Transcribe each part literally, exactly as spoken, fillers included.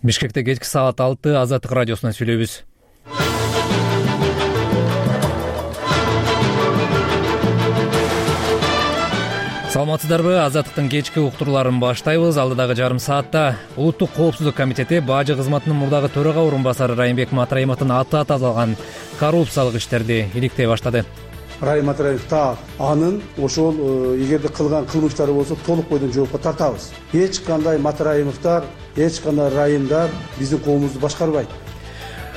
Бишкекте кечки саат алты Азаттык радиосунан сүйлөйбүз. Саламатсыздарбы? Азаттыктын кечки уктурууларын баштайбыз. Алдыдагы жарым саатта Улуттук коопсуздук комитети бажы кызматынын мурдагы төрага орун басары Райымбек Матраимовдун аты аталган коррупциялык иштерди иликтей баштады. Райым Матраимов та анын ошол эгерде кылган кылмыштары болсо толук бойдон жоопко тартабыз. Эч кандай Матраимовдор, эч кандай райымдар биздин коомубузду башкарбайт.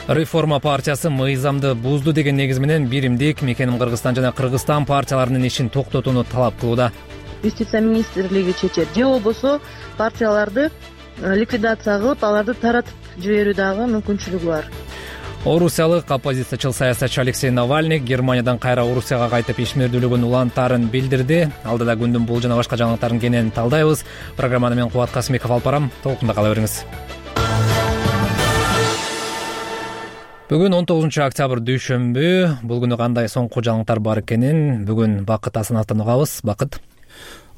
Реформа партиясы мыйзамды бузду деген негиз менен биримдик Мекеним Кыргызстан жана Кыргызстан партияларынын ишин токтотууну талап кылууда. Юстиция министрлиги чечет же болбосо партияларды ликвидация кылып, аларды таратып жиберүү дагы мүмкүнчүлүгү бар. Орусиялык оппозициячыл саясатчы Алексей Навальный Германиядан кайра Орусияга кайтып ишмердүүлүгүн улантаарын билдирди. Алдыда күндүн бул жана башка жаңылыктарын кенен талдайбыз. Программаны мен Кубат Касымбеков алып барам. Толкунда кала бериңиз. Бүгүн он тогузунчу октябрь дүйшөмбү. Бул күнү кандай соңку жаңылыктар бар экенин бүгүн Бакыт Асановдон угабыз. Бакыт.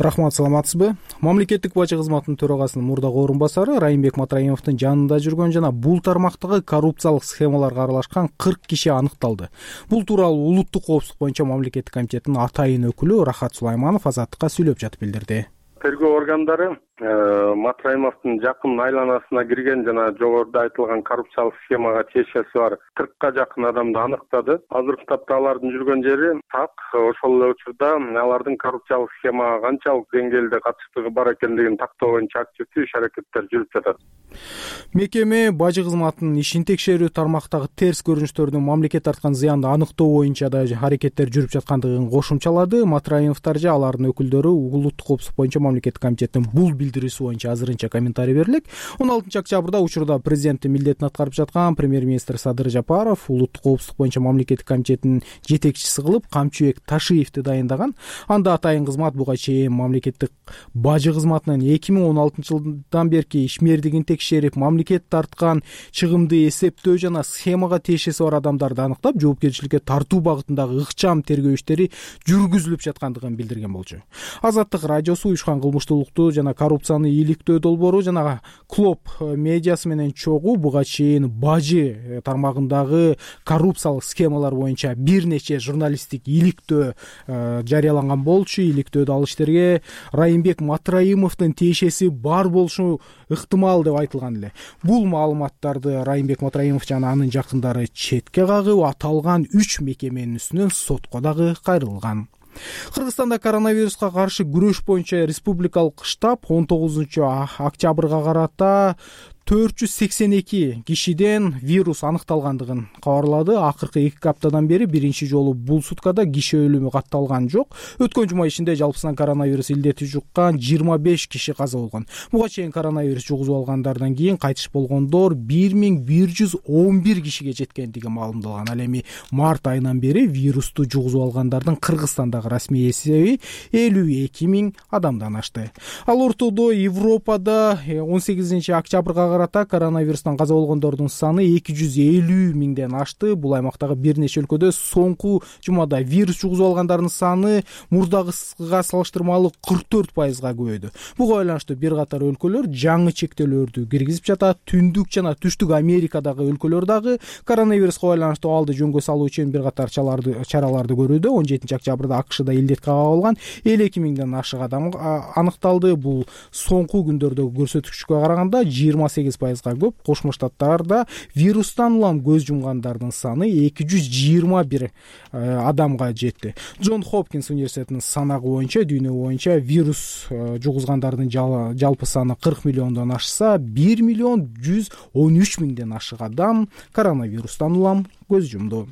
Рахмат, саламатсызбы? Мамлекеттик бажы кызматынын төрагасынын мурдагы орун басары Райымбек Матраимовдун жанында жүргөн жана бул тармактагы коррупциялык схемаларга аралашкан кырк киши аныкталды. Бул тууралуу Улуттук коопсуздук боюнча мамлекеттик комитеттин атайын өкүлү Рахат Сулайманов Азаттыкка сүйлөп жатып билдирди. Тергөө органдары Матраимовдун жакын айланасына кирген жана жогоруда айтылган коррупциялык схемага тиешеси бар кыркка жакын адамды аныктады. Азыркы тапта алардын жүргөн жери так. Ошол эле учурда алардын коррупциялык схемага канчалык деңгээлде катыштыгы бар экендигин тактоо боюнча активдүү иш-аракеттер жүрүп жатат. Мекеме бажы кызматынын ишин текшерүү, тармактагы терс көрүнүштөрдүн мамлекет тарткан зыянды аныктоо боюнча да аракеттер жүрүп жаткандыгын кошумчалады. Матраимовдор же алардын өкүлдөрү Улуттук коопсуздук боюнча мамлекеттик комитеттин бул билдирүүсү боюнча азырынча комментарий берилек. он алтынчы октябрда учурда президенттин милдетин аткарып жаткан премьер-министр Садыр Жапаров Улуттук коопсуздук боюнча мамлекеттик комитеттин жетекчиси кылып Камчыбек Ташиевди дайындаган. Анда атайын кызмат буга чейин мамлекеттик бажы кызматынын эки миң он алтынчы жылдан берки ишмердигин текшерип, мамлекет тарткан чыгымды эсептөө жана схемага тиешеси бар адамдарды аныктап, жоопкерчиликке тартуу багытындагы ыкчам тергөө иштери жүргүзүлүп жаткандыгын билдирген болчу. Азаттык радиосу уюшкан кылмыштуулукту жана коррупцияны иликтөө долбоору жана Клоп медиасы менен чогуу буга чейин бажы тармагындагы коррупциялык схемалар боюнча бир нече журналисттик иликтөө жарыяланган болчу. Иликтөөдө ал иштерге Райымбек Матраимовдун тиешеси бар болушу ыктымал деп айтылган эле. Бул маалыматтарды Райымбек Матраимов жана анын жакындары четке кагып, аталган үч мекеменин үстүнөн сотко дагы кайрылган. Кыргызстанда коронавируска каршы күрөш боюнча республикалык штаб он тогузунчу октябрга карата төрт жүз сексен эки кишиден вирус аныкталгандыгын кабарлады. Акыркы эки аптадан бери биринчи жолу бул суткада киши өлүмү катталган жок. Өткөн жума ичинде жалпысынан коронавирус илдети жуккан жыйырма беш киши каза болгон. Буга чейин коронавирус жугузуп алгандардан кийин кайтыш болгондор бир миң бир жүз он бир кишиге жеткендиги маалымдалган. Ал эми март айынан бери вирусту жугузуп алгандардын Кыргызстандагы расмий эсеби элүү эки миң адамдан ашты. Ал ортодо Европада он сегизинчи октябрга карата коронавирустан каза болгондордун саны эки жүз элүү миңден ашты. Бул аймактагы бир нече өлкөдө соңку жумада вирус жугузуп алгандардын саны мурдагыга салыштырмалуу кырк төрт пайызга көбөйдү. Буга байланыштуу бир катар өлкөлөр жаңы чектөөлөрдү киргизип жатат. Түндүк жана түштүк Америкадагы өлкөлөр дагы коронавируска байланыштуу алды жөнгө салуу үчүн бир катар чараларды көрүүдө. он жетинчи октябрда АКШда илдетке кабылган элүү эки миңден ашык адам аныкталды. Бул соңку күндөрдөгү көрсөткүчкө караганда жыйырма сегиз пайызга көп. Кошмо Штаттарда вирустан улам көз жумгандардын саны эки жүз жыйырма бир адамга жетти. Джон Хопкинс университетинин санагы боюнча дүйнө боюнча вирус жугузгандардын жалпы саны кырк миллиондон ашса, бир миллион жүз он үч миңден ашык адам коронавирустан улам көз жумду.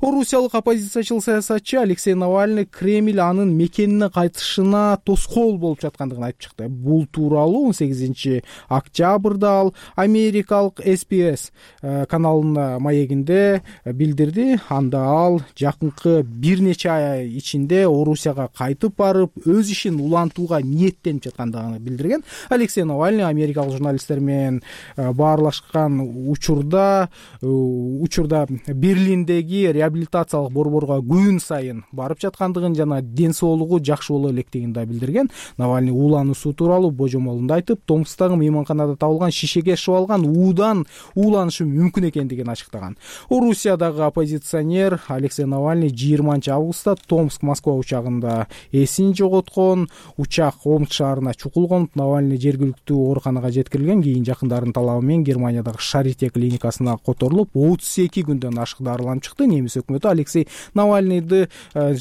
Орусиялык оппозициячыл саясатчы Алексей Навальный Кремль анын мекенине кайтышына тоскоол болуп жаткандыгын айтып чыкты. Бул тууралуу он сегизинчи октябрда ал америкалык эс би эс каналынын маегинде билдирди. Анда ал жакынкы бир нече ай ичинде Орусияга кайтып барып, өз ишин улантууга ниеттенип жаткандыгын билдирген. Алексей Навальный америкалык журналисттер менен баарлашкан учурда учурда Берлиндеги тиги реабилитациялык борборго күн сайын барып жаткандыгын жана ден соолугу жакшы боло электигин да билдирген. Навальный уулануусу тууралуу божомолунда айтып, Томскдагы мейманканада табылган шишеге шыбалган уудан ууланышы мүмкүн экендигин ачыктаган. Орусиядагы оппозиционер Алексей Навальный жыйырманчы августта Томск-Москва учагында эсин жоготкон. Учак Омск шаарына чукулгон. Навальный жергиликтүү ооруканага жеткирилген. Кийин жакындарынын талабы менен Германиядагы Шарите клиникасына которулуп, отуз эки күндөн ашык дарыланып чыкты. Немис өкмөтү Алексей Навальныйды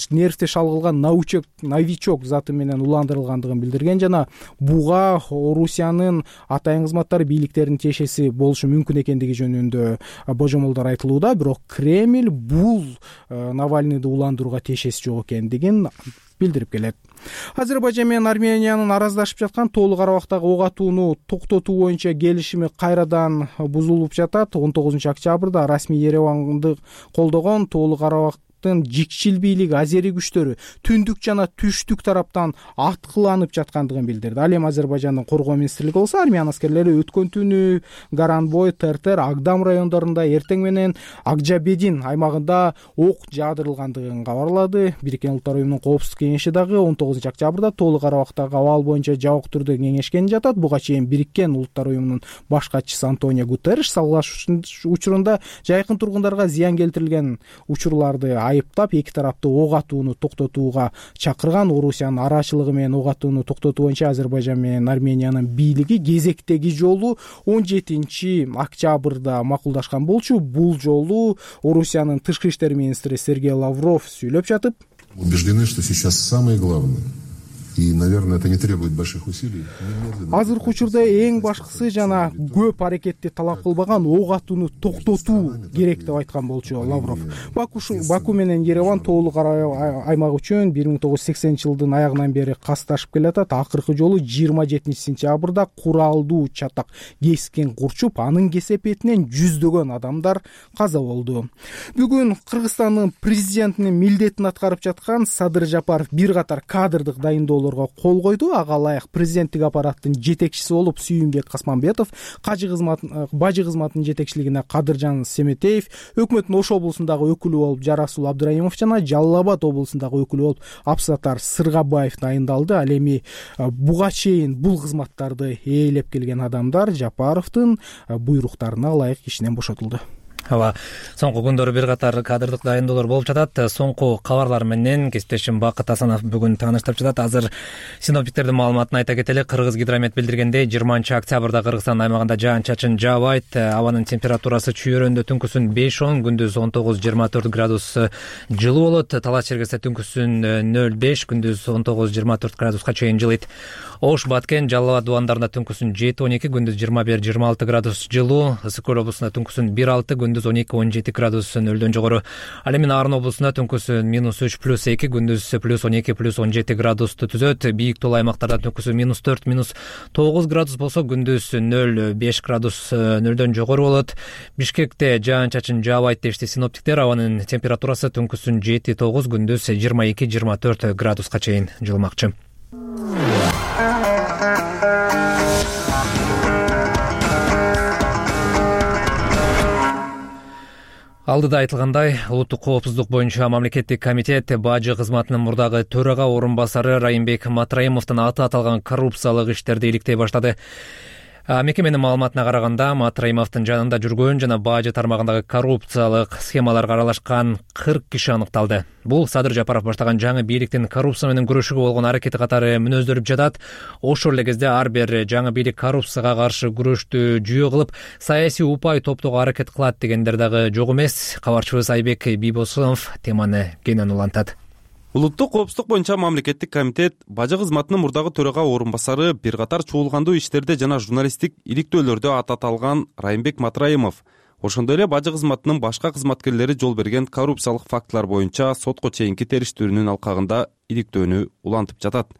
нервте шалгылган новичок новичок заты менен уландырылгандыгын билдирген жана буга Орусиянын атайын кызматтары бийликтеринин тиешеси болушу мүмкүн экендиги жөнүндө божомолдор айтылууда. Бирок Кремль бул Навальныйды уландырууга тиешеси жок экендигин билдирип келет. Азербайжан менен Армениянын араздашып жаткан Тоолу Карабактагы ок атууну токтотуу боюнча келишими кайрадан бузулуп жатат. он тогузунчу октябрда расмий Ереванды колдогон Тоолу Карабак жикчил бийлиги азери күчтөрү түндүк жана түштүк тараптан аткыланып жаткандыгын билдирди. Ал эми Азербайжандын коргоо министрлиги болсо армян аскерлери өткөн түнү Гаранбой, Тертер, Агдам райондорунда эртең менен Акжабедин аймагында ок жаадырылгандыгын кабарлады. Бириккен Улуттар уюмунун коопсуздук кеңеши дагы он тогузунчу октябрда Тоолу Карабактагы абал боюнча жабык түрдө кеңешкен жатат. Буга чейин Бириккен Улуттар уюмунун баш катчысы Антонио Гутерриш салгылашуу учурунда жайкын тургундарга зыян келтирилген учурларды айыптап, эки тарапты ок атууну токтотууга чакырган. Орусиянын арачылыгы менен ок атууну токтотуу боюнча Азербайжан менен Армениянын бийлиги кезектеги жолу он жетинчи октябрда макулдашкан болчу. Бул жолу Орусиянын тышкы иштер министри Сергей Лавров сүйлөп жатып, убеждены, что сейчас самое главное. И, наверное, это не требует больших усилий. Азыркы учурда эң башкысы жана көп аракетти талап кылбаган ок атууну токтотуу керек деп айткан болчу Лавров. Баку Баку менен Ереван Тоолу Карабак аймагы үчүн бир миң тогуз жүз сексенинчи жылдын аягынан бери касташып келатат. Акыркы жолу жыйырма жетинчи сентябрда куралдуу чатак кескен курчуп, анын кесепетинен жүздөгөн адамдар каза болду. Бүгүн Кыргызстандын президентинин милдетин аткарып жаткан Садыр Жапаров бир катар кадрдык дайындоо кол койду. Ага ылайык президенттик аппараттын жетекчиси болуп Сүйүнбек Касманбетов, кажы кызматын бажы кызматынын жетекчилигине Кадыржан Семетеев, өкмөттүн Ош облусундагы өкүлү болуп Жарасул Абдыраимов жана Жалал Абад облусундагы өкүлү болуп Абсатар Сыргабаев дайындалды. Ал эми буга чейин бул кызматтарды ээлеп келген адамдар Жапаровдун буйруктарына ылайык ишинен бошотулду. Ооба, соңку күндөрү бир катар кадрдык дайындоолор болуп жатат. Соңку кабарлар менен кесиптешим Бакыт Асанов бүгүн тааныштырып жатат. Азыр синоптиктердин маалыматын айта кетели. Кыргыз гидромет билдиргендей, жыйырманчы октябрда Кыргызстан аймагында жаан-чачын жаабайт. Абанын температурасы чүйөрөндө түнкүсүн беш он, күндүз он тогуз жыйырма төрт градус жылуу болот. Талас Чергесте түнкүсүн нөл беш, күндүз он тогуз жыйырма төрт градуска чейин жылыйт. Ош, Баткен, Жалал Абад дубандарында түнкүсүн жети он эки, күндүз жыйырма бир жыйырма алты градус жылуу. Ысык көл облусунда түнкүсүн бир алты, күндүз он эки он жети градус нөлдөн жогору. Ал эми Нарын облусунда түнкүсүн минус үч плюс эки, күндүз плюс он эки плюс он жети градусту түзөт. Бийик тоолуу аймактарда түнкүсүн минус төрт минус тогуз градус болсо, күндүз нөл беш градус нөлдөн жогору болот. Бишкекте жаан-чачын жаабайт дешти синоптиктер. Абанын температурасы түнкүсүн жети тогуз, күндүз жыйырма эки жыйырма төрт градуска чейин жылымакчы. Алдыда айтылгандай, улуттук коопсуздук боюнча мамлекеттик комитет бажы кызматынын мурдагы төрага орун басары Райымбек Матраимовдун аты аталган коррупциялык иштерди иликтей баштады. Мекеменин маалыматына караганда, Матраимовдун жанында жүргөн жана бажы тармагындагы коррупциялык схемаларга аралашкан кырк киши аныкталды. Бул Садыр Жапаров баштаган жаңы бийликтин коррупция менен күрөшүүгө болгон аракети катары мүнөздөрүп жатат. Ошол эле кезде ар бир жаңы бийлик коррупцияга каршы күрөштү жүйө кылып, саясий упай топтоого аракет кылат дегендер дагы жок эмес. Кабарчыбыз Айбек Бийбосунов теманы кенен улантат. Улуттук коопсуздук боюнча мамлекеттик комитет бажы кызматынын мурдагы төрага орун басары бир катар чуулгандуу иштерде жана журналисттик иликтөөлөрдө аты аталган Райымбек Матраимов, ошондой эле бажы кызматынын башка кызматкерлери жол берген коррупциялык фактылар боюнча сотко чейинки териштирүүнүн алкагында иликтөөнү улантып жатат.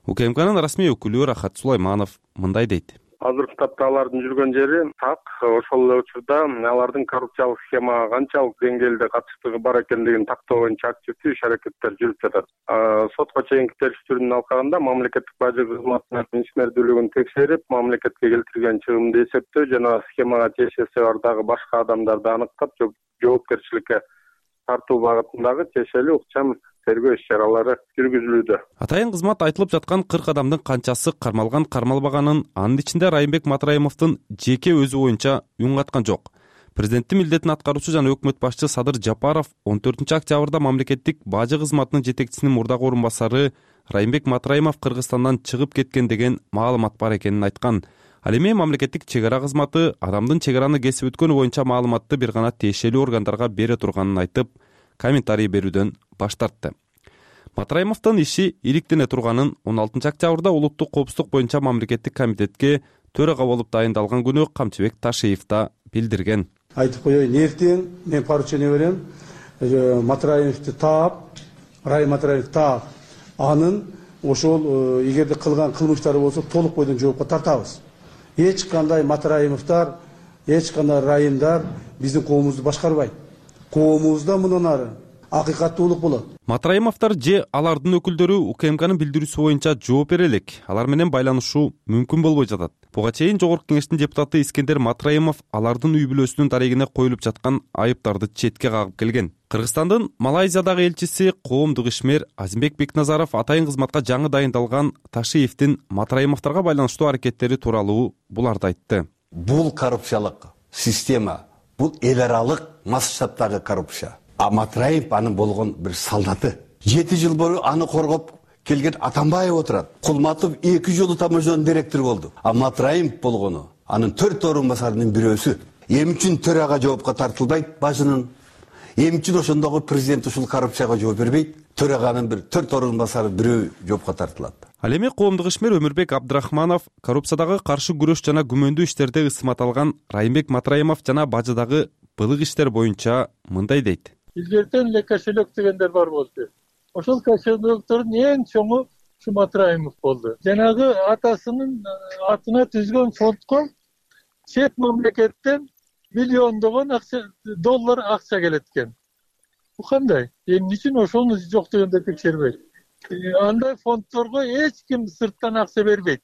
УКМКнын расмий өкүлү Рахат Сулайманов мындай дейт. Азыркы тапта алардын жүргөн жери так. Ошол эле учурда алардын коррупциялык схемага канчалык деңгээлде катыштыгы бар экендигин тактоо боюнча активдүү иш аракеттер жүрүп жатат. Сотко чейинки териштирүүнүн алкагында мамлекеттик бажы кызматынын ишмердүүлүгүн текшерип, мамлекетке келтирген чыгымды эсептөө жана схемага тиешеси бар дагы башка адамдарды аныктап жоопкерчиликке тартуу багытындагы тиешелүү ыкчам тергөө иш чаралары жүргүзүлүүдө. Атайын кызмат айтылып жаткан кырк адамдын канчасы кармалган кармалбаганын, анын ичинде Райымбек Матраимовдун жеке өзү боюнча үн каткан жок. Президенттин милдетин аткаруучу жана өкмөт башчы Садыр Жапаров он төртүнчү октябрда мамлекеттик бажы кызматынын жетекчисинин мурдагы орун басары Райымбек Матраимов Кыргызстандан чыгып кеткен деген маалымат бар экенин айткан. Ал эми мамлекеттик чек ара кызматы адамдын чек араны кесип өткөнү боюнча маалыматты бир гана тиешелүү органдарга бере турганын айтып, комментарий берүүдөн баш тартты. Матраимовдун иши иликтене турганын он алтынчы октябрда улуттук коопсуздук боюнча мамлекеттик комитетке төрага болуп дайындалган күнү Камчыбек Ташиев да билдирген. Айтып коеюн, эртең мен поручение берем, Матраимовду таап, Райым Матраимовду таап, анын ошол эгерде кылган кылмыштары болсо толук бойдон жоопко тартабыз. Эч кандай Матраимовдор, эч кандай райымдар биздин коомубузду башкарбайт. Коомубузда мындан ары акыйкаттуулук болот. Матраимовдор же алардын өкүлдөрү УКМКнын билдирүүсү боюнча жооп бере элек. Алар менен байланышуу мүмкүн болбой жатат. Буга чейин Жогорку Кеңештин депутаты Искендер Матраимов алардын үй бүлөсүнүн дарегине коюлуп жаткан айыптарды четке кагып келген. Кыргызстандын Малайзиядагы элчиси коомдук ишмер Азимбек Бекназаров атайын кызматка жаңы дайындалган Ташиевдин Матраимовдорго байланыштуу аракеттери тууралуу буларды айтты. Бул коррупциялык система, бул эл аралык масштабтагы коррупция. А Матраимов анын болгон бир солдаты. жети жыл бою аны коргоп келген Атамбаев отурат. Кулматов эки жолу таможнянын директору болду. А Матраимов болгону анын төрт орун басарынын бирөөсү. Эмне үчүн төрага жоопко тартылбайт башынын? Эмне үчүн ошондогу президент ушул коррупцияга жооп бербейт? Төраганын бир төрт орун басары бирөө жоопко тартылат. Ал эми коомдук ишмер Өмүрбек Абдрахманов коррупциядагы каршы күрөш жана күмөндүү иштерде ысмат алган Райымбек Матраимов жана бажыдагы былык иштер боюнча мындай дейт. Илгертен эле кошелек дегендер бар болду. Ошол кошелектердин эң чоңу ушу Матраимов болду. Жанагы атасынын атына түзгөн фондко чет мамлекеттен миллиондогон акча доллар акча келет экен. Бу кандай? Эмне үчүн ошону жок дегенде текшербейт? Андай фонддорго эч ким сырттан акча бербейт.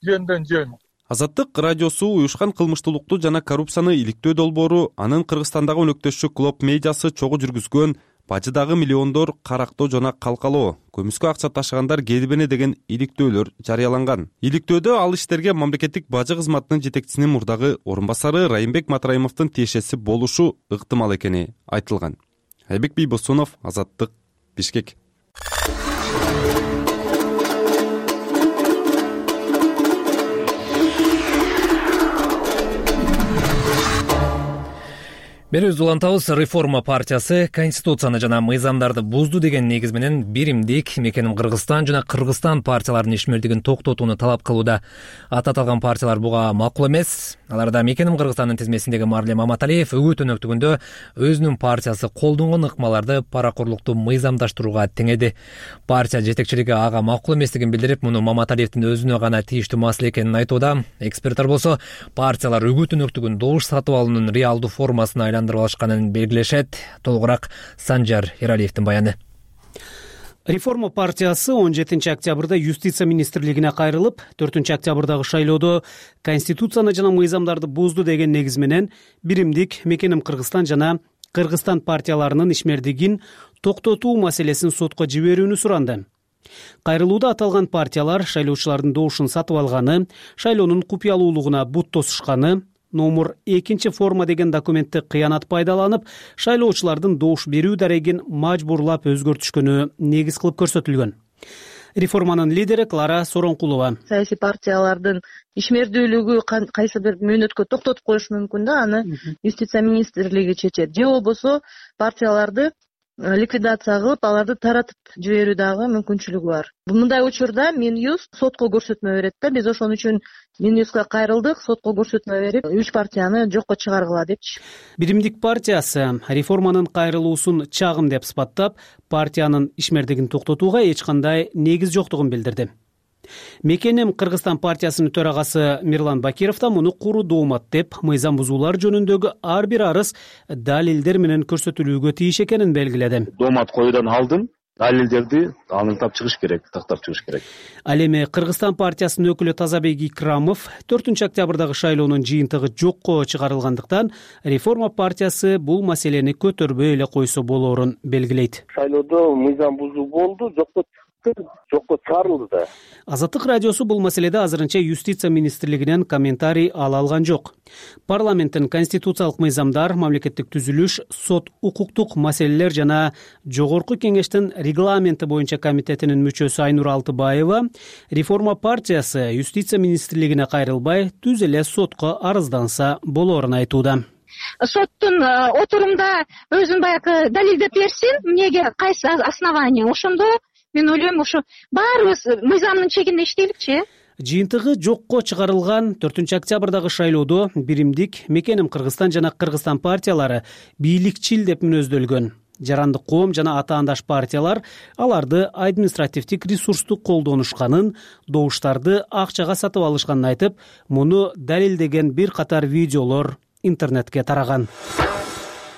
Жөндөн жөн. Азаттык радиосу уюшкан кылмыштуулукту жана коррупцияны иликтөө долбоору анын Кыргызстандагы өнөктөшү Клоп медиасы чогуу жүргүзгөн бажыдагы миллиондор карактоо жана калкалоо, көмүскө акча ташыгандар келбене деген иликтөөлөр жарыяланган. Иликтөөдө ал иштерге мамлекеттик бажы кызматынын жетекчисинин мурдагы орун басары Райымбек Матраимовдун тиешеси болушу ыктымал экени айтылган. Айбек Бийбосунов, Азаттык, Бишкек. Берүүбүздү улантабыз. Реформа партиясы конституцияны жана мыйзамдарды бузду деген негиз менен биримдик Мекеним Кыргызстан жана Кыргызстан партияларынын ишмердигин токтотууну талап кылууда. Аты аталган партиялар буга макул эмес. Аларда Мекеним Кыргызстандын тизмесиндеги Марлем Маматалиев өгүүт өнөктүгүндө өзүнүн партиясы колдонгон ыкмаларды паракорлукту мыйзамдаштырууга теңеди. Партия жетекчилиги ага макул эместигин билдирип, муну Маматалиевдин өзүнө гана тийиштүү маселе экенин айтууда. Эксперттер болсо партиялар өгүүт өнөктүгүн добуш сатып алуунун реалдуу формасына айландырып алышканын белгилешет. Толугураак Санжар Эралиевдин баяны. Реформа партиясы он жетинчи октябрда юстиция министрлигине кайрылып, төртүнчү октябрдагы шайлоодо конституцияны жана мыйзамдарды бузду деген негиз менен биримдик Мекеним Кыргызстан жана Кыргызстан партияларынын ишмердигин токтотуу маселесин сотко жиберүүнү суранды. Кайрылууда аталган партиялар шайлоочулардын добушун сатып алганы, шайлоонун купуялуулугуна бут тосушканы, номер экинчи форма деген документти кыянат пайдаланып, шайлоочулардын добуш берүү дарегин мажбурлап өзгөртүшкөнү негиз кылып көрсөтүлгөн. Реформанын лидери Клара Соронкулова. Саясий партиялардын ишмердүүлүгү кайсы бир мөөнөткө токтотуп коюш мүмкүн да, аны юстиция министрлиги чечет. Же болбосо партияларды ликвидация кылып, аларды таратып жиберүү дагы мүмкүнчүлүгү бар. Мындай учурда Минюст сотко көрсөтмө берет да, биз ошон үчүн Минюстка кайрылдык, сотко көрсөтмө берип, үч партияны жокко чыгаргыла депчи. Биримдик партиясы реформанын кайрылуусун чагым деп сыпаттап, партиянын ишмердигин токтотууга эч кандай негиз жоктугун билдирди. Мекеним Кыргызстан партиясынын төрагасы Мирлан Бакиров да муну куру доомат деп, мыйзам бузуулар жөнүндөгү ар бир арыз далилдер менен көрсөтүлүүгө тийиш экенин белгиледи. Доомат коюудан алдын далилдерди аныктап чыгыш керек, тактап чыгыш керек. Ал эми Кыргызстан партиясынын өкүлү Тазабек Икрамов төртүнчү октябрдагы шайлоонун жыйынтыгы жокко чыгарылгандыктан реформа партиясы бул маселени көтөрбөй эле койсо болоорун белгилейт. Шайлоодо мыйзам бузуу болду, жокко жокко чыгарылды да. Азаттык радиосу бул маселеде азырынча юстиция министрлигинен комментарий ала алган жок. Парламенттин конституциялык мыйзамдар, мамлекеттик түзүлүш, сот, укуктук маселелер жана жогорку кеңештин регламенти боюнча комитетинин мүчөсү Айнур Алтыбаева реформа партиясы юстиция министрлигине кайрылбай түз эле сотко арызданса болоорун айтууда. Соттун отурумда өзүн баягы далилдеп берсин, эмнеге кайсы основание, ошондо мен ойлойм ошо баарыбыз мыйзамдын чегинде иштейликчи. Жыйынтыгы жокко чыгарылган төртүнчү октябрдагы шайлоодо биримдик, Мекеним Кыргызстан жана Кыргызстан партиялары бийликчил деп мүнөздөлгөн. Жарандык коом жана атаандаш партиялар аларды административдик ресурсту колдонушканын, добуштарды акчага сатып алышканын айтып, муну далилдеген бир катар видеолор интернетке тараган.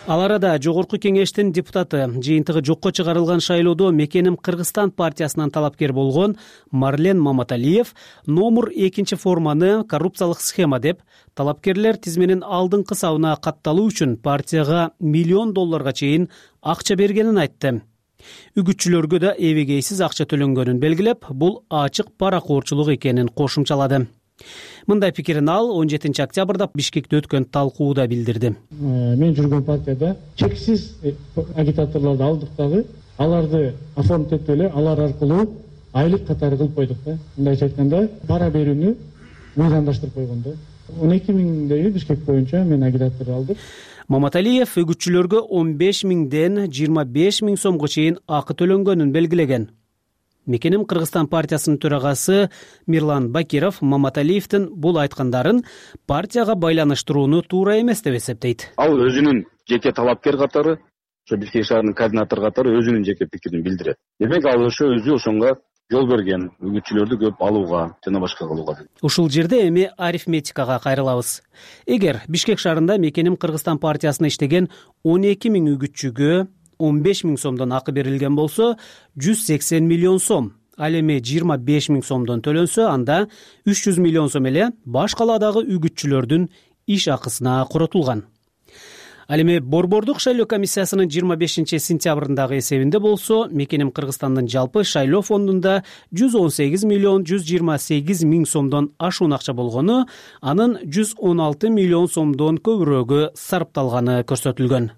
Ал арада жогорку кеңештин депутаты жыйынтыгы жокко чыгарылган шайлоодо Мекеним Кыргызстан партиясынан талапкер болгон Марлен Маматалиев номер экинчи форманы коррупциялык схема деп, талапкерлер тизменин алдыңкы сабына катталуу үчүн партияга миллион долларга чейин акча бергенин айтты. Үгүтчүлөргө да эбегейсиз акча төлөнгөнүн белгилеп, бул ачык паракоорчулук экенин кошумчалады. Мындай пикирин ал он жетинчи октябрда Бишкекте өткөн талкууда билдирди. Мен жүргөн партияда чексиз агитаторлорду алдык дагы, аларды оформить этип эле алар аркылуу айлык катары кылып койдук да. Мындайча айтканда, пара берүүнү мыйзамдаштырып койгон да. он эки миңдеги Бишкек боюнча мен агитатор алдым. Маматалиев үгүтчүлөргө он беш миңден жыйырма беш миң сомго чейин акы төлөнгөнүн белгилеген. Мекеним Кыргызстан партиясынын төрагасы Мирлан Бакиров Маматалиевдин бул айткандарын партияга байланыштырууну туура эмес деп эсептейт. Ал өзүнүн жеке талапкер катары, ошо Бишкек шаарынын координатору катары өзүнүн жеке пикирин билдирет. Демек ал ошо өзү ошонго жол берген, үгүтчүлөрдү көп алууга жана башка кылууга. Ушул жерде эми арифметикага кайрылабыз. Эгер Бишкек шаарында Мекеним Кыргызстан партиясына иштеген он эки миң үгүтчүгө он беш миң сомдон акы берилген болсо, жүз сексен миллион сом. Ал эми жыйырма беш миң сомдон төлөнсө, анда үч жүз миллион сом эле баш калаадагы үгүтчүлөрдүн иш акысына коротулган. Ал эми Борбордук шайлоо комиссиясынын жыйырма бешинчи сентябрындагы эсебинде болсо, Мекеним Кыргызстандын жалпы шайлоо фондунда жүз он сегиз миллион жүз жыйырма сегиз миң сомдон ашуун акча болгону, анын жүз он алты миллион сомдон көбүрөгү сарпталганы көрсөтүлгөн.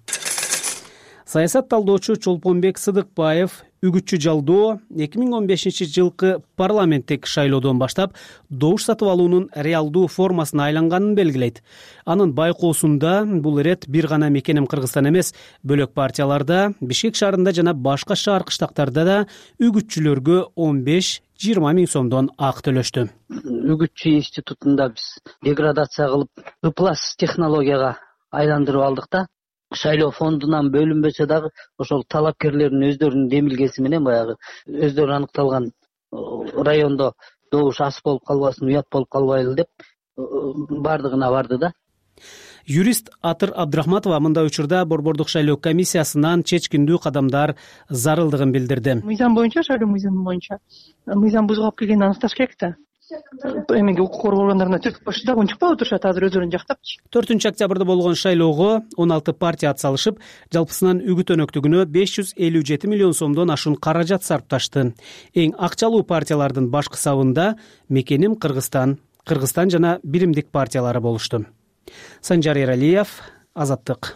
Саясат талдоочу Чолпонбек Сыдыкбаев үгүтчү жалдоо эки миң он бешинчи жылкы парламенттик шайлоодон баштап добуш сатып алуунун реалдуу формасына айланганын белгилейт. Анын байкоосунда бул ирет бир гана Мекеним Кыргызстан эмес, бөлөк партияларда, Бишкек шаарында жана башка шаар кыштактарда да үгүтчүлөргө он беш жыйырма миң сомдон акы төлөштү. Үгүтчү институтунда биз деградация кылып, ыплас технологияга айландырып алдык да. Шайлоо фондунан бөлүнбөсө дагы ошол талапкерлердин өздөрүнүн демилгеси менен баягы өздөрү аныкталган райондо добуш ас болуп калбасын, уят болуп калбайлы деп бардыгына барды да. Юрист Атыр Абдрахматова мындай учурда Борбордук шайлоо комиссиясынан чечкиндүү кадамдар зарылдыгын билдирди. Мыйзам боюнча, шайлоо мыйзамы боюнча мыйзам бузуп алып келгенин аныкташ керек да. Эмеге укук коргоо органдарына түртүп коюшту дагы унчукпай отурушат азыр өздөрүн жактапчы. төртүнчү октябрда болгон шайлоого он алты партия атсалышып, жалпысынан үгүт өнөктүгүнө беш жүз элүү жети миллион сомдон ашуун каражат сарпташты. Эң акчалуу партиялардын башкы сабында Мекеним Кыргызстан, Кыргызстан жана Биримдик партиялары болушту. Санжар Эралиев, Азаттык.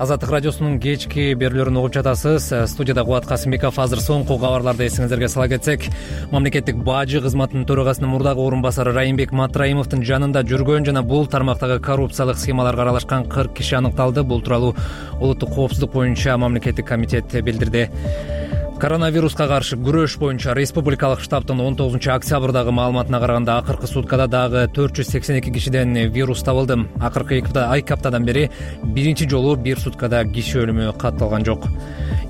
Азаттык радиосунун кечки берүүлөрүн угуп жатасыз. Студияда Кубат Касымбеков. Азыр соңку кабарларды эсиңиздерге сала кетсек, мамлекеттик бажы кызматынын төрагасынын мурдагы орун басары Райымбек Матраимовдун жанында жүргөн жана бул тармактагы коррупциялык схемаларга аралашкан кырк киши аныкталды. Бул тууралуу улуттук коопсуздук боюнча мамлекеттик комитет билдирди. Коронавируска каршы күрөш боюнча республикалык штабтын он тогузунчу октябрдагы маалыматына караганда акыркы суткада дагы төрт жүз сексен эки кишиден вирус табылды. Акыркы эки аптадан бери биринчи жолу бир суткада киши өлүмү катталган жок.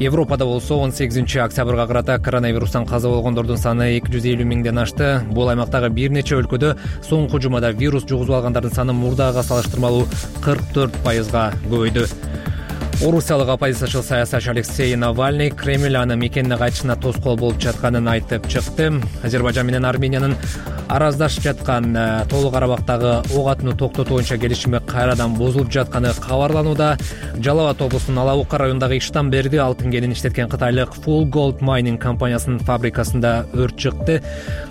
Европада болсо он сегизинчи октябрга карата коронавирустан каза болгондордун саны эки жүз элүү миңден ашты. Бул аймактагы бир нече өлкөдө соңку жумада вирус жугузуп алгандардын саны мурдагыга салыштырмалуу кырк төрт пайызга көбөйдү. Орусиялык оппозициячыл саясатчы Алексей Навальный Кремль аны мекенине кайтышына тоскоол болуп жатканын айтып чыкты. Азербайжан менен Армениянын араздашып жаткан Тоолуу Карабактагы ок атууну токтотуу боюнча келишими кайрадан бузулуп жатканы кабарланууда. Жалал Абад облусунун Алабука районундагы Иштан Берди алтын кенин иштеткен кытайлык Full Gold Mining компаниясынын фабрикасында өрт чыкты.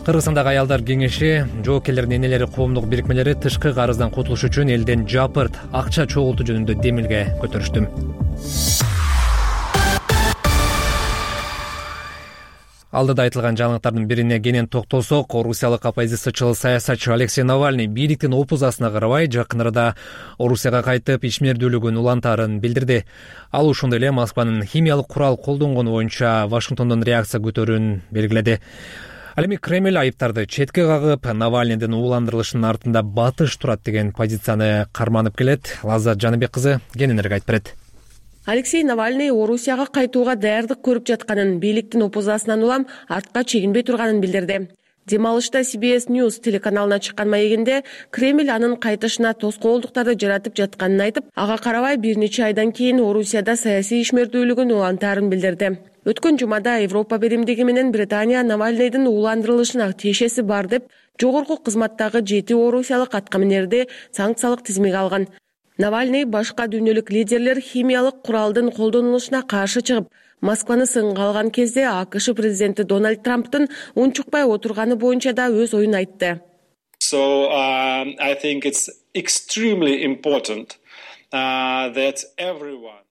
Кыргызстандагы аялдар кеңеши жоокерлердин энелери коомдук бирикмелери тышкы карыздан кутулуш үчүн элден жапырт акча чогултуу жөнүндө демилге көтөрүштү. Алдыда айтылган жаңылыктардын бирине кенен токтолсок, орусиялык оппозициячыл саясатчы Алексей Навальный бийликтин опузасына карабай жакын арада Орусияга кайтып ишмердүүлүгүн улантаарын билдирди. Ал ошондой эле Москванын химиялык курал колдонгону боюнча Вашингтондон реакция күтөрүүнү белгиледи. Ал эми Кремль айыптарды четке кагып, Навальныйдын ууландырылышынын артында батыш турат деген позицияны карманып келет. Лаззат Жаныбек кызы кененирээк айтып берет. Алексей Навальный Орусияга кайтууга даярдык көрүп жатканын, бийликтин опузасынан улам артка чегинбей турганын билдирди. Дем алышта Си Би Эс News телеканалына чыккан маегинде Кремль анын кайтышына тоскоолдуктарды жаратып жатканын айтып, ага карабай бир нече айдан кийин Орусияда саясий ишмердүүлүгүн улантаарын билдирди. Өткөн жумада Европа биримдиги менен Британия Навальныйдын ууландырылышына тиешеси бар деп, жогорку кызматтагы жети орусиялык аткаминерди санкциялык тизимге алган. Навальный башка дүйнөлүк лидерлер химиялык куралдын колдонулушуна каршы чыгып, Москваны сынга алган кезде АКШ президенти Дональд Трамптын унчукпай отурганы боюнча да өз оюн айтты. So um, I think it's extremely important uh, that everyone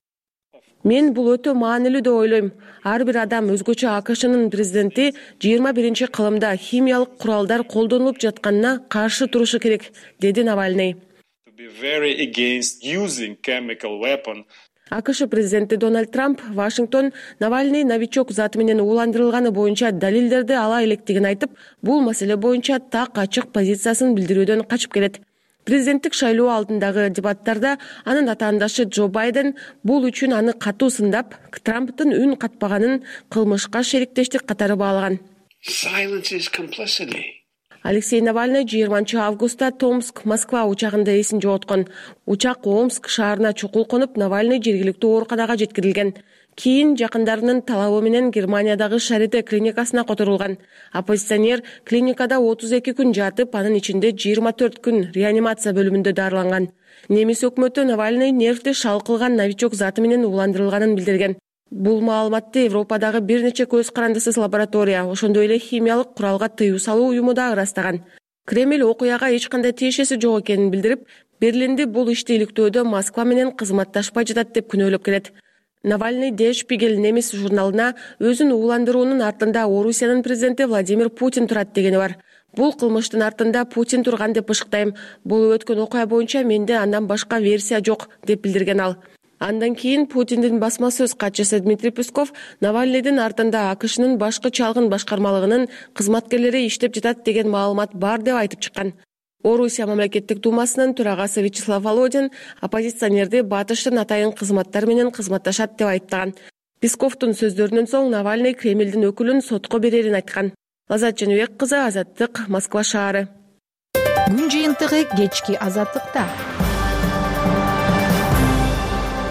Мен бул өтө маанилүү деп ойлойм. Ар бир адам өзгөчө АКШнын президенти жыйырма биринчи кылымда химиялык куралдар колдонулуп жатканына каршы турушу керек, деди Навальный. АКШ президенти Дональд Трамп Вашингтон Навальный новичок заты менен ууландырылганы боюнча далилдерди ала электигин айтып, бул маселе боюнча так ачык позициясын билдирүүдөн качып келет. Президенттик шайлоо алдындагы дебаттарда анын атаандашы Джо Байден бул үчүн аны катуу сындап, Трамптын үн катпаганын кылмышка шериктештик катары баалаган. Алексей Навальный жыйырманчы августта Томск, Москва учагында эсин жоготкон. Учак Омск шаарына чукул конуп, Навальный жергиликтүү ооруканага жеткирилген. Кийин жакындарынын талабы менен Германиядагы Шарите клиникасына которулган. Оппозиционер клиникада отуз эки күн жатып, анын ичинде жыйырма төрт күн реанимация бөлүмүндө дарыланган. Немис өкмөтү Навальный нервди шалкылган новичок заты менен ууландырылганын билдирген. Бул маалыматты Европадагы бир нече көз карандысыз лаборатория, ошондой эле химиялык куралга тыюу салуу уюму да ырастаган. Кремль окуяга эч кандай тиешеси жок экенин билдирип, Берлинди бул ишти иликтөөдө Москва менен кызматташпай жатат деп күнөөлөп келет. Навальный Der Spiegel немис журналына өзүн ууландыруунун артында Орусиянын президенти Владимир Путин турат дегени бар. Бул кылмыштын артында Путин турган деп ышыктайм. Бул өткөн окуя боюнча менде андан башка версия жок деп билдирген ал. Андан кийин Путиндин басма сөз катчысы Дмитрий Песков Навальныйдын артында АКШнын башкы чалгын башкармалыгынын кызматкерлери иштеп жатат деген маалымат бар деп айтып чыккан. Орусия мамлекеттик думасынын төрагасы Вячеслав Володин оппозиционерди батыштын атайын кызматтар менен кызматташат деп айыптаган. Песковдун сөздөрүнөн соң Навальный Кремлдин өкүлүн сотко берерин айткан. Лаззат Жаныбек кызы, Азаттык, Москва шаары. Күн жыйынтыгы кечки Азаттыкта.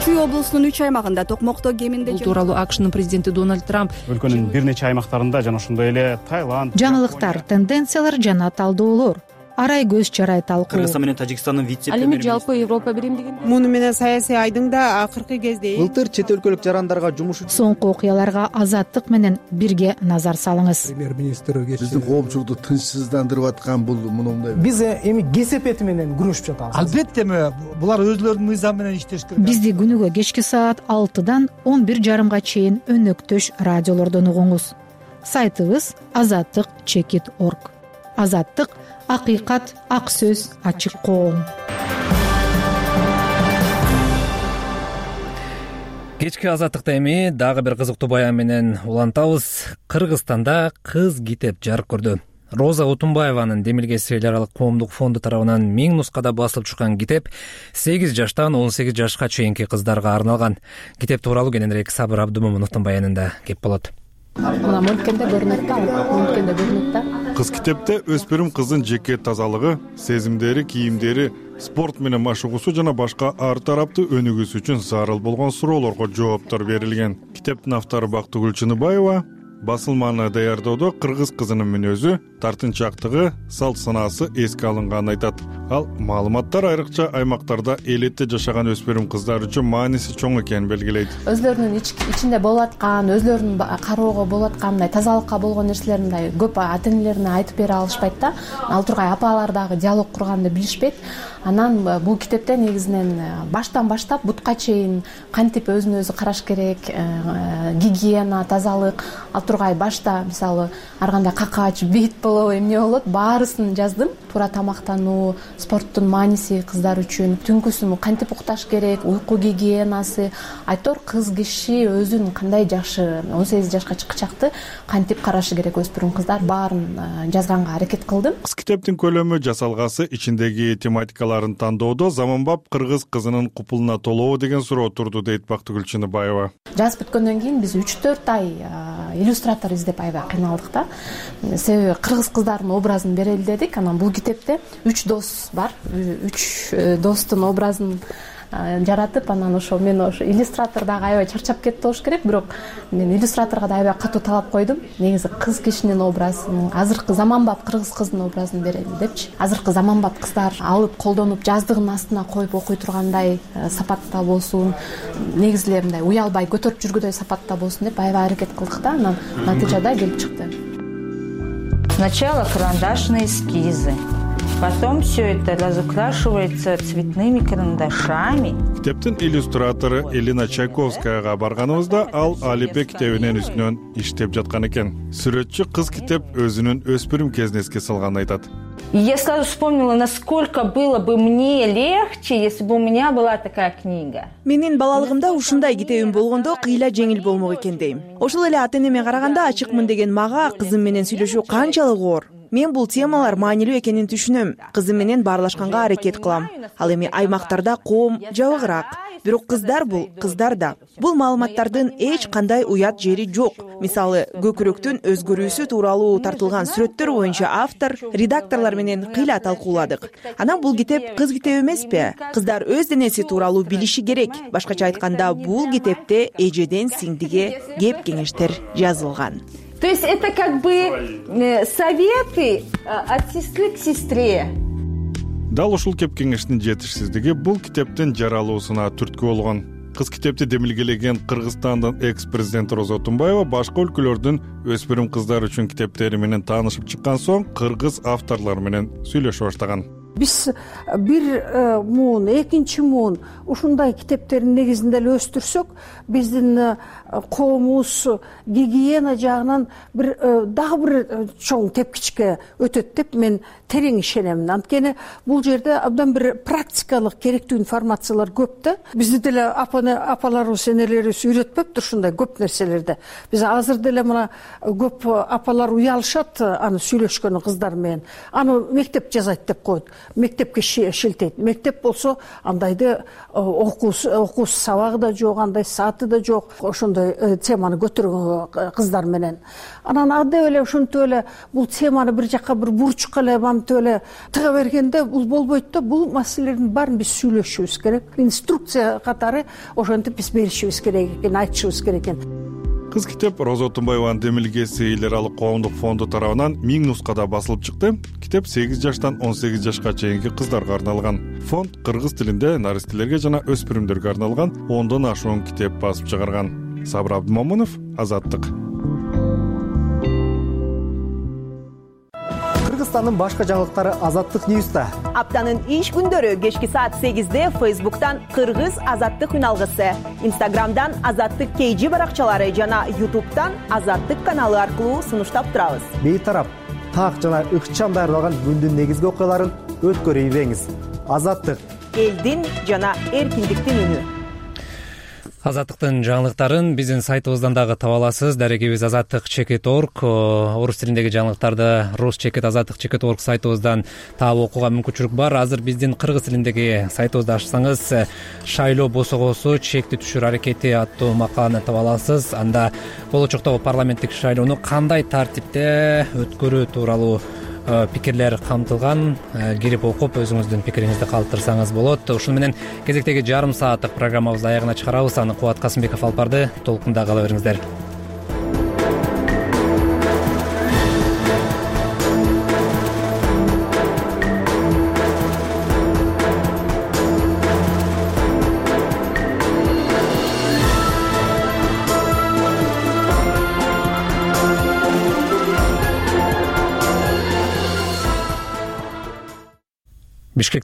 Чүй облусунун үч аймагында токмокто кеминде бул тууралуу АКШнын президенти Дональд Трамп өлкөнүн бир нече аймактарында жана ошондой эле Таиланд, жаңылыктар, тенденциялар жана талдоолор, арай көз чарай талкуу. Кыргызстан менен Тажикстандын вице-премьери. Ал эми жалпы Европа биримдиги муну менен саясий айдыңда акыркы кезде былтыр чет өлкөлүк жарандарга жумуш үчүн соңку окуяларга Азаттык менен бирге назар салыңыз. Премьер-министр биздин коомчулукту тынчсыздандырып аткан бул мындай. Биз эми кесепети менен күрөшүп жатабыз. Албетте булар өзлөрүнүн мыйзамы менен иштеш керек. Бизди күнүгө кечки саат алтыдан он бир жарымга чейин өнөктөш радиолордон угуңуз. Сайтыбыз азаттык чекит точка орг. Азаттык акыйкат, ак сөз, ачык коом. Кечки Азаттыкта эми дагы бир кызыктуу баян менен улантабыз. Кыргызстанда кыз китеп жарык көрдү. Роза Утунбаеванын демилгеси эл аралык коомдук фонду тарабынан миң нускада басылып чыккан китеп сегиз жаштан он сегиз жашка чейинки кыздарга арналган. Китеп тууралуу кененирээк Сабыр Абдымомуновдун баянында кеп болот. Мына мынткенде көрүнөт да, мынткенде көрүнөт да. Кыз китепте өспүрүм кыздын жеке тазалыгы, сезимдери, кийимдери, спорт менен машыгуусу жана башка ар тараптуу өнүгүүсү үчүн зарыл болгон суроолорго жооптор берилген. Китептин автору Бактыгүл Чыныбаева басылманы даярдоодо кыргыз кызынын мүнөзү, тартынчактыгы, салт санаасы эске алынганын айтат. Ал маалыматтар айрыкча аймактарда элетте жашаган өспүрүм кыздар үчүн мааниси чоң экенин белгилейт. Өзлөрүнүн ичинде болуп аткан, өзлөрүнүн кароого болуп аткан мындай тазалыкка болгон нерселерин мындай көп ата энелерине айтып бере алышпайт да. Ал тургай апалар дагы диалог курганды билишпейт. Анан бул китепте негизинен баштан баштап бутка чейин кантип өзүн өзү караш керек, гигиена, тазалык, ал тургай башта мисалы ар кандай какач, бит болобу, эмне болот, баарысын жаздым. Туура тамактануу, спорттун мааниси кыздар үчүн, түнкүсүн кантип укташ керек, уйку гигиенасы, айтор кыз киши өзүн кандай жакшы он сегиз жашка чыкчакты кантип карашы керек өспүрүм кыздар, баарын жазганга аракет кылдым. Кыз китептин көлөмү, жасалгасы, ичиндеги тематикаларын тандоодо заманбап кыргыз кызынын купулуна толобу деген суроо турду, дейт Бактыгүл Чыныбаева. Жазып бүткөндөн кийин биз үч төрт ай иллюстратор издеп аябай кыйналдык да. Себеби кыргыз кыздардын образын берели дедик. Анан бул китепте үч дос бар. Үч достун образын жаратып, анан ошо мен ошо иллюстратор дагы аябай чарчап кетти болуш керек, бирок мен иллюстраторго да аябай катуу талап койдум. Негизи кыз кишинин образын, азыркы заманбап кыргыз кыздын образын берели депчи. Азыркы заманбап кыздар алып колдонуп жаздыгынын астына коюп окуй тургандай сапатта болсун, негизи эле мындай уялбай көтөрүп жүргүдөй сапатта болсун деп аябай аракет кылдык да. Анан натыйжада келип чыкты. Сначала карандашные эскизы, потом все это разукрашивается цветными карандашами. Китептин иллюстратору Элина Чайковскаяга барганыбызда ал Алипбек китебинин үстүнөн иштеп жаткан экен. Сүрөтчү кыз китеп өзүнүн өспүрүм кезин эске салганын айтат. И я сразу вспомнила, насколько было бы мне легче, если бы у меня была такая книга. Менин балалыгымда ушундай китебим болгондо кыйла жеңил болмок экен дейм. Ошол эле ата энеме караганда ачыкмын деген мага кызым менен сүйлөшүү канчалык оор. Мен бул темалар маанилүү экенин түшүнөм. Кызым менен баарлашканга аракет кылам. Ал эми аймактарда коом жабыгыраак. Бирок кыздар бул кыздар да. Бул маалыматтардын эч кандай уят жери жок. Мисалы, көкүрөктүн өзгөрүүсү тууралуу тартылган сүрөттөр боюнча автор, редакторлор менен кыйла талкууладык. Анан бул китеп кыз китеби эмеспи? Кыздар өз денеси тууралуу билиши керек. Башкача айтканда, бул китепте эжеден сиңдиге кеп кеңештер жазылган. То есть это как бы советы от сестры к сестре. Дал ушул кеп кеңештин жетишсиздиги бул китептин жаралуусуна түрткү болгон. Кыз китепти демилгелеген Кыргызстандын экс-президенти Роза Тумбаева башка өлкөлөрдүн өспүрүм кыздар үчүн китептери менен таанышып чыккан соң кыргыз авторлор менен сүйлөшө баштаган. Биз бир муун, экинчи муун ушундай китептердин негизинде эле өстүрсөк, биздин коомубуз гигиена жагынан бир дагы бир чоң тепкичке өтөт деп мен терең ишенемин. Анткени бул жерде абдан бир практикалык керектүү информациялар көп да. Бизди деле апаларыбыз, энелерибиз үйрөтпөптүр ушундай көп нерселерди. Биз азыр деле мына көп апалар уялышат аны сүйлөшкөнү кыздар менен. Аны мектеп жазайт деп коет. Мектепке шилтейт. Мектеп болсо андайды окуусу сабагы да жок, андай сааты да жок. Ошондой теманы көтөргөн кыздар менен. Анан ады эле ушинтип эле бул теманы бир жакка бир бурчукка эле мантип эле тыга бергенде бул болбойт да. Бул маселелердин баарын биз сүйлөшүбүз керек. Инструкция катары ошентип биз беришибиз керек экен, айтышыбыз керек экен. Кыз китеп Роза Тумбаеванын демилгеси эл аралык коомдук фонду тарабынан миң нускада басылып чыкты. Китеп сегиз жаштан он сегиз жашка чейинки кыздарга арналган. Фонд кыргыз тилинде наристелерге жана өспүрүмдөргө арналган ондон ашуун китеп басып чыгарган. Сабыр Абдымомунов, Азаттык. Кыргызстандын башка жаңылыктары Азаттык Ньюста. Аптанын иш күндөрү кечки саат сегизде Facebook'тан Кыргыз Азаттык үналгысы, Instagram'дан Азаттык кей жи баракчалары жана YouTube'тан Азаттык каналы аркылуу сунуштап турабыз. Бейтарап, так жана ыкчам даярдалган күндүн негизги окуяларын өткөрүп ийбеңиз. Азаттык, элдин жана эркиндиктин үнү. Азаттыктын жаңылыктарын биздин сайтыбыздан дагы таба аласыз. Дарегибиз азаттык чекит точка орг. Орус тилиндеги жаңылыктарды рус чекит азаттык чекит точка орг сайтыбыздан таап окууга мүмкүнчүлүк бар. Азыр биздин кыргыз тилиндеги сайтыбызды ачсаңыз шайлоо босогосу чекти түшүр аракети аттуу макаланы таба аласыз. Анда болочоктогу парламенттик шайлоону кандай тартипте өткөрүү тууралуу пикирлер камтылган. Кирип окуп өзүңүздүн пикириңизди калтырсаңыз болот. Ушуну менен кезектеги жарым сааттык программабызды аягына чыгарабыз. Аны Кубат Касымбеков алып барды. Толкунда кала бериңиздер. Бишкек